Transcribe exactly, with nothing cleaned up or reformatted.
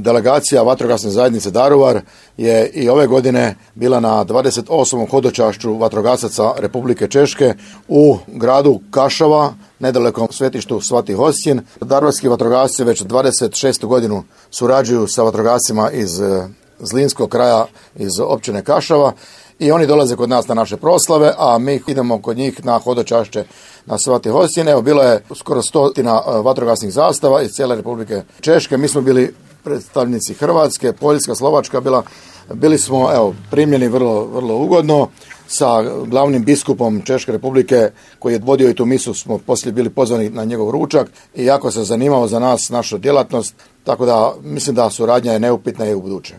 delegacija vatrogasne zajednice Daruvar je i ove godine bila na dvadeset osmom hodočašću vatrogasaca Republike Češke u gradu Kašava, nedalekom svetištu Svati Hostin. Daruvarski vatrogasci već dvadeset šestu godinu surađuju sa vatrogascima iz Zlinskog kraja, iz općine Kašava, i oni dolaze kod nas na naše proslave, a mi idemo kod njih na hodočašće na Svati Hostin. Evo, bilo je skoro stotina vatrogasnih zastava iz cijele Republike Češke. Mi smo bili predstavnici Hrvatske, Poljska, Slovačka bila. Bili smo, evo, primljeni vrlo, vrlo ugodno. Sa glavnim biskupom Češke Republike, koji je vodio i tu misu, smo poslije bili pozvani na njegov ručak i jako se zanimao za nas, našu djelatnost, tako da mislim da suradnja je neupitna i u buduće.